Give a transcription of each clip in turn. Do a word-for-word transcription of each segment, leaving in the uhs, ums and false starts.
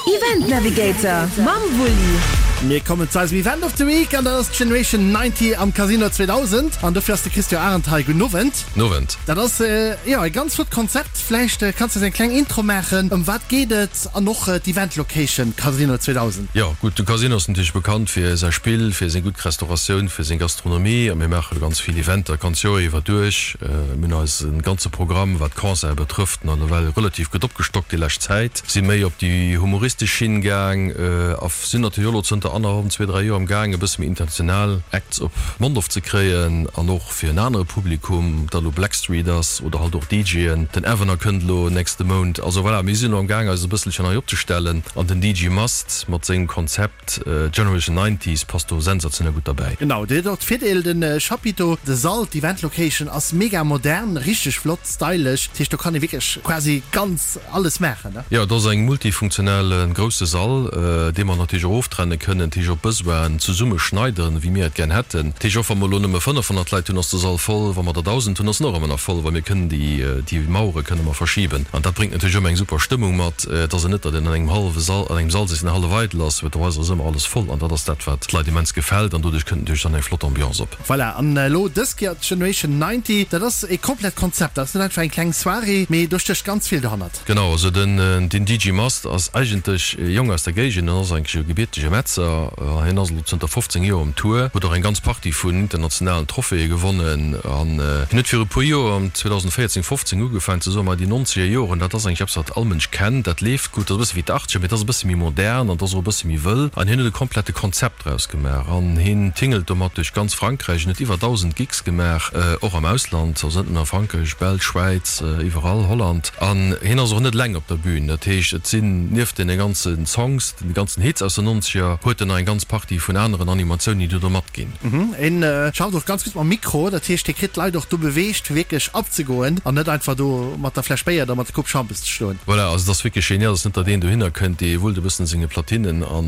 Event Navigator mam Wulli. Mir kommen zu eisem Event of the Week an dat ass d'Generation neunzig am Casino zweedausend an dofir ass de Christian Arendt hei. Gudden Owend. Nowend. Dat ass jo e ganz flott Konzept. Vläicht kanns de eis eng kleng Intro maachen. Ëm wat geet et an och d'Event Location Casino zweedausend? Jo gutt, de Casino ass natierlech bekannt fir säi Spill, fir seng gutt Restauratioun, fir seng Gastronomie a mir maache ganz vill Eventer d'ganz Joer iwwer duerch. Mir hunn eise ganze Programm, wat d'Concerte betrëfft, nawell relativ gutt opgestockt déi lescht Zäit. Si méi op déi humoristesch Schinn gaang a sinn natierlech och elo zënter annerhallwem, zwee, dräi Joer am gaang e bësse méi international Acts op Mondorf ze kréien an och fir en anere Publikum, ob dat elo Blackstreet ass oder halt och DJen. Den Avener kënnt elo nächste Mount. Also voilà, mir sinn elo am gaang eis e bësselchen nei opzestellen an den D J Must mat sengem Konzept Generation Nineties passt do sensationell gutt derbäi. Genau, dir hutt och d'Virdeel, de Chapiteau, de Sall, d'Event Location ass mega modern, richteg flott, stylesch. Dat heescht, do kann ee wierklech quasi ganz alles maachen, ne? Jo, et ass eng multifunktionell grousse Sall, dee mer natierlech och oftrenne kënnen, dat heescht op Besoinen zesumme schneideren, wéi mir et gär hätten. Dat heescht, och wa mer elo nëmme fënnefhonnert Leit hunn, ass de Sall voll, wa mer der dausend hunn, ass en och ëmmer nach voll, well mir kënnen déi, déi Mauere kënne mer verschiben. An dat bréngt natierlech ëmmer eng super Stëmmung mat. Et ass et net, datt een an engem hallwe Sall, an engem Sall sëtzt, deen hallef eidel ass, well do ass ëmmer alles voll an dat ass dat, wat d'Leit immens gefält an doduerch kënnt natierlech dann eng flott Ambiance op. Voilà, an elo dës Kéier d'Generation neunzig, dat ass e komplett Konzept, dat ass net einfach eng kleng Soirée, mee do stécht ganz vill dohannert. Genau, also den den D J Mast ass eigentlech e Jong aus der Géigend, en ass eigentlech e gebiertege Metzer. Hien ass elo zënter fofzéng Joer um Tour, huet och eng ganz Partie vun internationalen Trophäe gewonnen an hien huet viru puer Joer, am zweedausendvéierzéng, fofzéng, ugefaangen ze soen, ma déi nonzeger Joren, dat ass eigentlech eppes wat all Mënsch kennt, dat leeft gutt, dat ass e bësse wéi d'Achtzeger, mee dat ass e bësse méi modern an dat ass och e bësse méi wëll. An hien huet e komplette Konzept draus gemaach an hien tingelt domat duerch ganz Frankräich. Hien huet iwwer dausend Gigs gemaach, och am Ausland, also net nëmmen a Frankräich, Belsch, Schwäiz, iwwerall, Holland. An hien ass och net eleng op der Bühn, dat heescht et sinn nieft deene ganze Songs, de ganzen Hits aus den nonzeger, huet en nach eng ganz Partie vun aneren Animatiounen, déi do matginn. En schafft och ganz gutt mam Mikro, dat heescht hie kritt d'Leit och do beweegt fir wierklech abzegoen an net einfach do mat der Fläsch Béier oder mat der Coupe Schampes ze stoen. Voilà, also et ass wierklech genial, et ass net datt een dohinner kënnt, dee wullt e bëssen senge Platinen a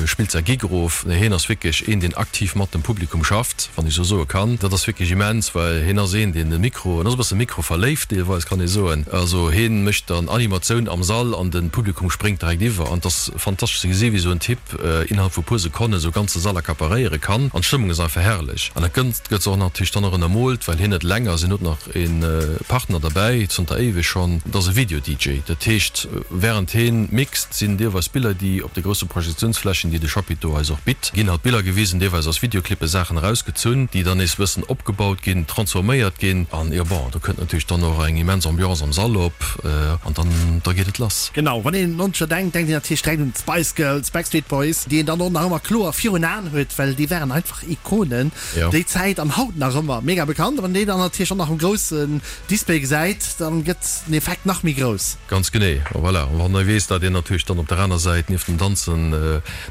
spillt säi Gig erof, nee hien ass wierklech een, deen aktiv mat dem Publikum schafft, wann ech esou soe kann. Dat ass wierklech immens, well hien ass een, deen de Mikro, en ass e bësse mikroverléift deelweis, kann ee soen, also hien mécht dann Animatioun am Sall an de Publikum spréngt direkt iwwer an et ass fantastesch ze gesi wéi esou en Typ innerhalb vu puer Sekonnen esou e ganze Sall accaparéiere kann an d'Stëmmung ass einfach herrlech. An dat gëtt gëtt och natierlech dann och ënnermoolt, well hien net eleng ass, hien huet nach e Partner derbäi, zanter éiweg schonn, dat ass e Video-D J. Dat heescht, wärend hien mixt, sinn deelweis Biller, déi op de grousse Projektiounsflächen, déi de Chapiteau eis och bitt, ginn halt Biller gewisen, deelweis aus Videoclippe Saachen erausgezunn, déi dann nees e bëssen opgebaut ginn, transforméiert ginn an jo bon, do kënnt natierlech dann och eng immens Ambiance am Sall op an dann da geet et lass. Genau, wann een un Nonzeger denkt, denkt een natierlech direkt un d'Spice Girls, d'Backstreet Boys, déi een dann och nach ëmmer kloer virun Aen huet, well déi waren einfach Ikonen déi Zäit an haut nach ëmmer mega bekannt. A wann een déi dann natierlech och nach um groussen Display gesäit, dann gëtt den Effekt nach méi grouss. Ganz genee, voilà. An wann ee weess, datt een natierlech dann op der aner Säit nieft dem Danzen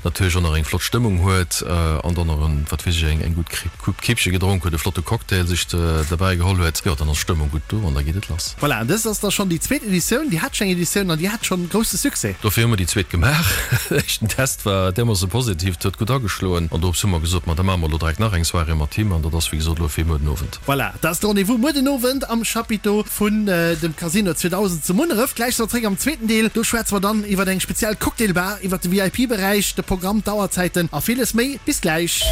natierlech och nach eng flott Stëmmung huet an dann nach en, wat weess ech, eng gutt Coupe Kéipche gedronk huet, e flotte Cocktail sech derbäi geholl huet, jo, dann ass d'Stëmmung gutt do an da geet et lass. Voilà, an dëst ass da schonn déi zweet Editioun. Dir hat schonn eng Editioun an déi hat schonn grousse Succès. Dofir hu mer déi zweet gemaach. Den éischten Test war därmoosse positiv, et huet gutt ageschloen an dorops hu mer gesot, ma da maache mer elo direkt nach eng Soirée mat him an dat ass wéi gesot elo fir muer den Owend. Voilà, dat ass de Rendez-vous muer den Owend am Chapiteau vun dem Casino zweedausend zu Munneref. Gläich si mer zréck am zweeten Deel. Do schwätze mer dann iwwer eng speziell Cocktailbar, iwwer de V I P-Beräich, de Programm, d'Auerzäiten a villes méi. Bis gläich!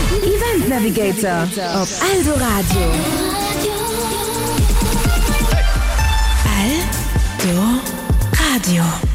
Event Navigator op Eldoradio. Eldoradio.